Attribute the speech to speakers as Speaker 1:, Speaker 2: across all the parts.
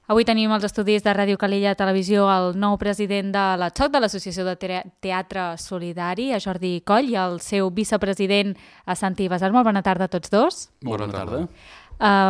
Speaker 1: Avui tenim als estudis de Ràdio Calella Televisió el nou president de l'ATSOC, de l'Associació de Teatre Solidari, a Jordi Coll, i el seu vicepresident, a Santi Basar. Molt bona tarda a tots dos.
Speaker 2: Molt bona tarda.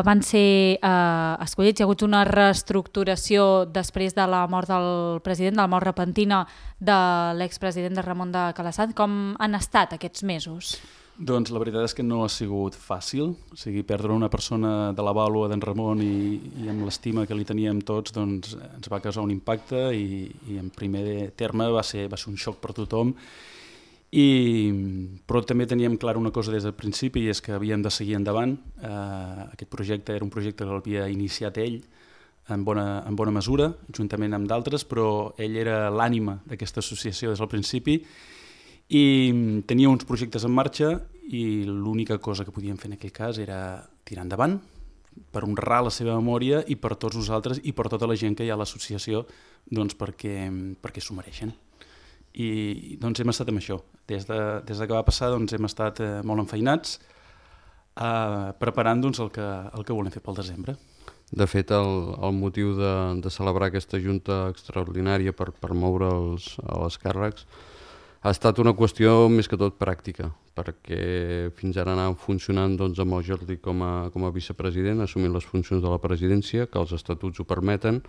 Speaker 1: Van ser escollits, hi ha hagut una reestructuració després de la mort del president, de la mort repentina de l'expresident de Ramon de Calasanz. Com han estat aquests mesos?
Speaker 2: Doncs la veritat és que no ha sigut fàcil, o sigui, perdre una persona de la vàlua d'en Ramon i amb l'estima que li teníem tots, doncs ens va causar un impacte i en primer terme va ser un xoc per tothom, però també teníem clar una cosa des del principi, i és que havíem de seguir endavant. Aquest projecte era un projecte que l'havia iniciat ell en bona mesura, juntament amb d'altres, però ell era l'ànima d'aquesta associació des del principi, i tenia uns projectes en marxa i l'única cosa que podíem fer en aquell cas era tirar endavant per honrar la seva memòria i per tots nosaltres i per tota la gent que hi ha a l'associació, doncs perquè s'ho mereixen. I doncs hem estat amb això. Des que va passar doncs hem estat molt enfeinats preparant doncs, el que volem fer pel desembre.
Speaker 3: De fet, el motiu de celebrar aquesta junta extraordinària per moure els càrrecs ha estat una qüestió més que tot pràctica, perquè fins ara anàvem funcionant doncs, amb el Jordi com a vicepresident, assumint les funcions de la presidència, que els estatuts ho permeten,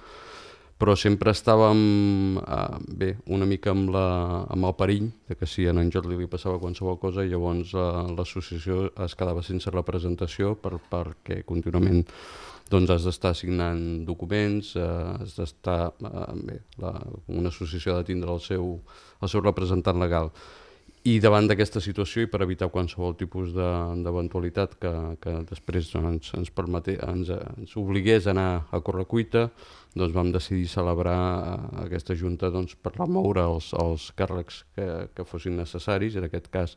Speaker 3: però sempre estàvem una mica amb el perill de que si a en Jordi li passava qualsevol cosa, i llavors l'associació es quedava sense representació perquè contínuament doncs has d'estar signant documents, has d'estar... una associació ha de tindre el seu representant legal. I davant d'aquesta situació, i per evitar qualsevol tipus d'eventualitat que després ens obligués a anar a correcuita, doncs vam decidir celebrar aquesta junta per remoure els càrrecs que fossin necessaris. En aquest cas,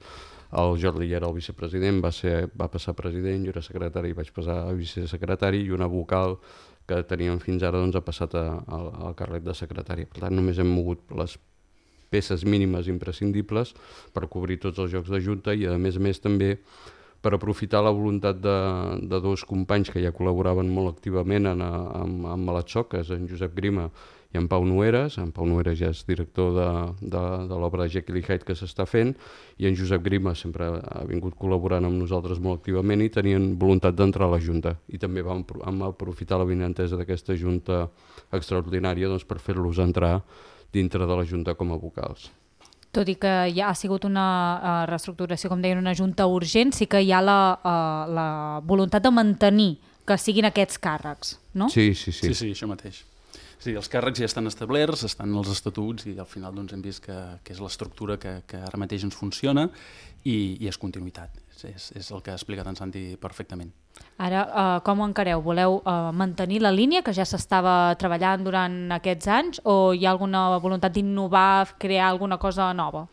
Speaker 3: el Jordi era el vicepresident, va passar a president, jo era secretari i vaig passar a vicesecretari, i una vocal que teníem fins ara ha passat al càrrec de secretari. Per tant, només hem mogut les peces mínimes imprescindibles per cobrir tots els jocs de junta i, a més també, per aprofitar la voluntat de dos companys que ja col·laboraven molt activament amb l'ATSOC, que és en Josep Grima i en Pau Noeres. En Pau Noeres ja és director de l'obra de Jekyll i Hyde que s'està fent, i en Josep Grima sempre ha vingut col·laborant amb nosaltres molt activament i tenien voluntat d'entrar a la Junta. I també vam aprofitar la benentesa d'aquesta Junta extraordinària per fer-los entrar dintre de la Junta com a vocals.
Speaker 1: Tot i que ja ha sigut una reestructuració, com deien, una junta urgent, sí que hi ha la voluntat de mantenir que siguin aquests càrrecs, no?
Speaker 3: Sí,
Speaker 2: això mateix. Sí, els càrrecs ja estan establerts, estan els estatuts, i al final doncs, hem vist que és l'estructura que ara mateix ens funciona i és continuïtat. És el que ha explicat en Santi perfectament.
Speaker 1: Ara, com ho encareu? Voleu mantenir la línia que ja s'estava treballant durant aquests anys, o hi ha alguna voluntat d'innovar, crear alguna cosa nova?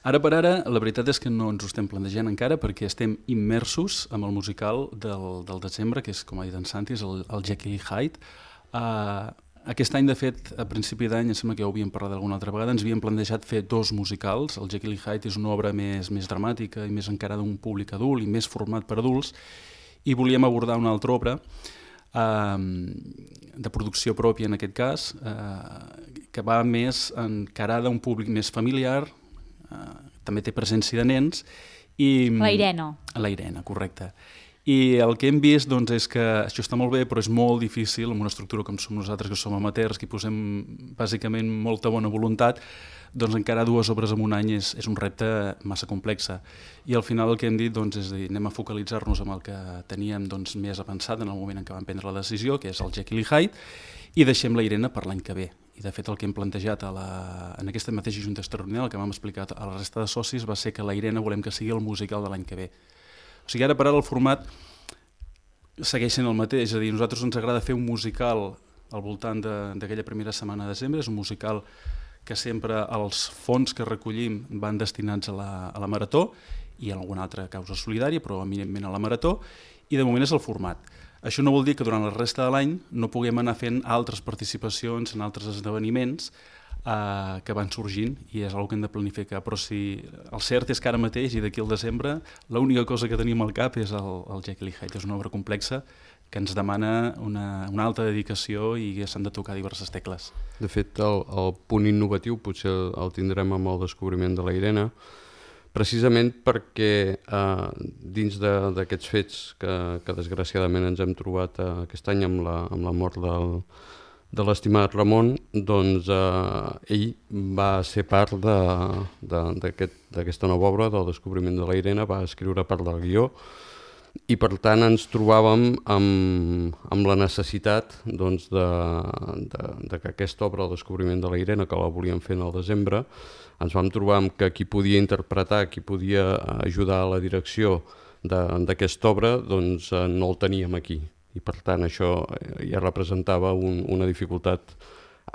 Speaker 2: Ara per ara, la veritat és que no ens ho estem plantejant encara, perquè estem immersos amb el musical del desembre, que és, com ha dit en Santi, és el Jekyll i Hyde. Aquest any, de fet, a principi d'any, em sembla que ja ho havíem parlat alguna altra vegada, ens havíem plantejat fer dos musicals. El Jekyll i Hyde és una obra més dramàtica i més encarada a un públic adult i més format per adults, i volíem abordar una altra obra de producció pròpia, en aquest cas, que va més encarada a un públic més familiar, també té presència de nens.
Speaker 1: La Irene.
Speaker 2: La Irene, correcte. I el que hem vist doncs, és que això està molt bé, però és molt difícil, amb una estructura com som nosaltres, que som amateurs, que hi posem bàsicament molta bona voluntat, doncs encara dues obres en un any és un repte massa complex. I al final el que hem dit doncs, és dir, anem a focalitzar-nos en el que teníem doncs, més avançat en el moment en què vam prendre la decisió, que és el Jekyll i Hyde, i deixem la Irene per l'any que ve. I de fet el que hem plantejat en aquesta mateixa junta extraordinària, el que vam explicar a la resta de socis, va ser que la Irene volem que sigui el musical de l'any que ve. O sigui, ara per ara el format segueix sent el mateix, és a dir, a nosaltres ens agrada fer un musical al voltant d'aquella primera setmana de desembre, és un musical que sempre els fons que recollim van destinats a la marató i a alguna altra causa solidària, però eminentment a la marató, i de moment és el format. Això no vol dir que durant la resta de l'any no puguem anar fent altres participacions en altres esdeveniments que van sorgint, i és una que hem de planificar, però si el cert és que ara mateix i d'aquí al desembre l'única cosa que tenim al cap és el Jekyll i Hyde. És una obra complexa que ens demana una alta dedicació i s'han de tocar diverses tecles.
Speaker 3: De fet, el punt innovatiu potser el tindrem amb el descobriment de la Irene, precisament perquè dins d'aquests fets que desgraciadament ens hem trobat aquest any amb la mort de l'estimat Ramon, doncs ell va ser part d'aquesta nova obra, del descobriment de la Irene, va escriure part del guió, i per tant ens trobàvem amb la necessitat doncs, de que aquesta obra, el descobriment de la Irene, que la volíem fer en el desembre, ens vam trobar amb que qui podia interpretar, qui podia ajudar a la direcció d'aquesta obra, doncs no el teníem aquí. I per tant això ja representava una dificultat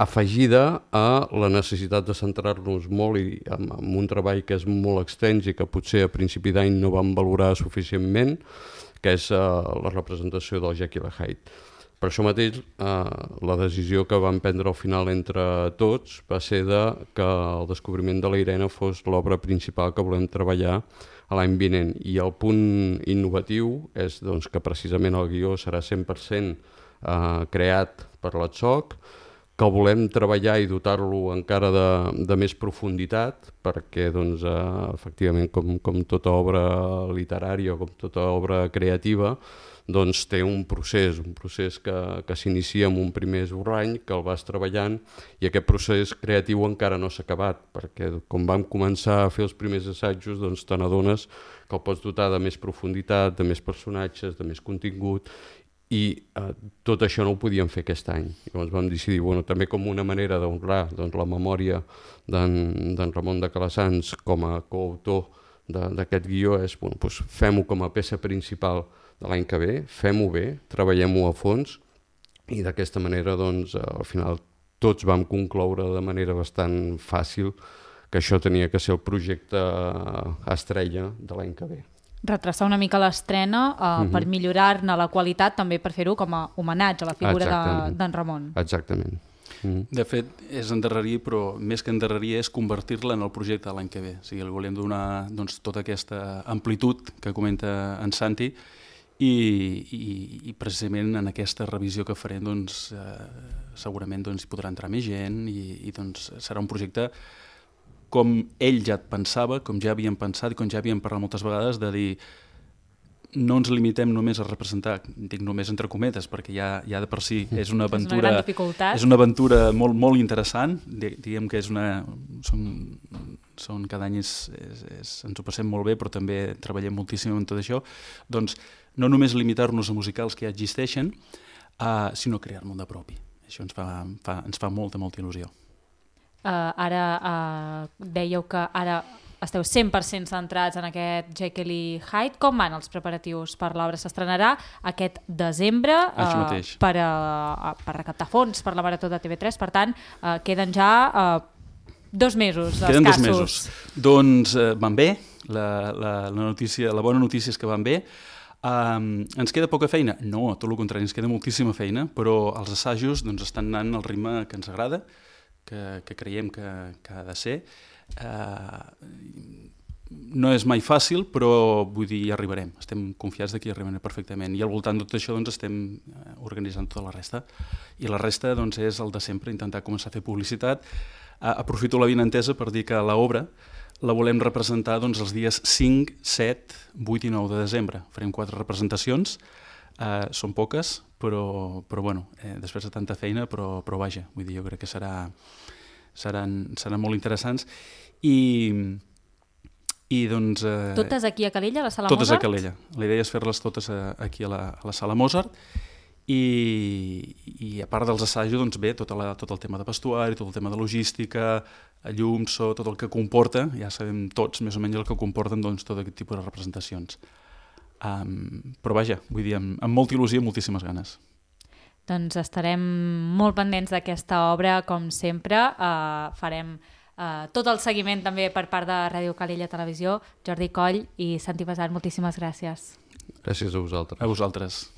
Speaker 3: afegida a la necessitat de centrar-nos molt en un treball que és molt extens i que potser a principi d'any no vam valorar suficientment, que és la representació del Jekyll and Hyde. Per això mateix, la decisió que vam prendre al final entre tots va ser que el descobriment de la Irene fos l'obra principal que volem treballar a l'any vinent. I el punt innovatiu és doncs, que precisament el guió serà 100% creat per l'ATSOC, que volem treballar i dotar-lo encara de més profunditat, perquè doncs, efectivament, com tota obra literària o com tota obra creativa, doncs té un procés que s'inicia amb un primer esborrany, que el vas treballant, i aquest procés creatiu encara no s'ha acabat, perquè com vam començar a fer els primers assajos, doncs te n'adones que el pots dotar de més profunditat, de més personatges, de més contingut, i tot això no ho podíem fer aquest any. Llavors vam decidir, també com una manera d'honrar la memòria d'en Ramon de Calassanç com a coautor d'aquest guió, és fem-ho com a peça principal de l'any que ve, fem-ho bé, treballem-ho a fons, i d'aquesta manera al final tots vam concloure de manera bastant fàcil que això tenia que ser el projecte estrella de l'any que ve.
Speaker 1: Retrasar una mica l'estrena per millorar-ne la qualitat, també per fer-ho com a homenatge a la figura d'en Ramon.
Speaker 3: Exactament.
Speaker 2: De fet, és endarrerir, però més que endarrerir és convertir-la en el projecte de l'any que ve. O sigui, li volem donar tota aquesta amplitud que comenta en Santi, i precisament en aquesta revisió que farem segurament hi podrà entrar més gent i serà un projecte com ell ja pensava, com ja havíem pensat i com ja havíem parlat moltes vegades, de dir no ens limitem només a representar, dic només entre cometes, perquè ja de per si és una aventura, és una aventura molt, molt interessant, diguem que cada any ens ho passem molt bé, però també treballem moltíssim en tot això, doncs no només limitar-nos a musicals que ja existeixen, sinó crear-ne un de propi. Això ens fa molta il·lusió.
Speaker 1: Ara dèieu que ara esteu 100% centrats en aquest Jekyll i Hyde. Com van els preparatius per l'obra? S'estrenarà aquest desembre per recaptar fons per la Marató de TV3, per tant, queden ja 2 mesos escassos.
Speaker 2: Queden 2 mesos. Doncs van bé, la bona notícia és que van bé. Ens queda poca feina? No, tot el contrari, ens queda moltíssima feina, però els assajos estan anant al ritme que ens agrada, que creiem que ha de ser. No és mai fàcil, però vull dir, hi arribarem. Estem confiats que hi arribarem perfectament. I al voltant de tot això estem organitzant tota la resta. I la resta és el de sempre, intentar començar a fer publicitat. Aprofito l'avinentesa per dir que l'obra la volem representar els dies 5, 7, 8 i 9 de desembre. Farem 4 representacions. Són poques, però després de tanta feina, però vaja, vull dir, jo crec que seran molt interessants. I
Speaker 1: totes aquí a Calella, a la Sala Mozart?
Speaker 2: Totes a Calella. La idea és fer-les totes aquí a la Sala Mozart, i a part dels assajos ve tot el tema de vestuari, tot el tema de logística, llum, so, tot el que comporta, ja sabem tots més o menys el que comporten tot aquest tipus de representacions. Però vaja, vull dir, amb molta il·lusió i moltíssimes ganes.
Speaker 1: Doncs estarem molt pendents d'aquesta obra, com sempre. Farem tot el seguiment també per part de Ràdio Calella Televisió. Jordi Coll i Santi Pesat, moltíssimes gràcies.
Speaker 3: Gràcies a vosaltres.
Speaker 2: A vosaltres.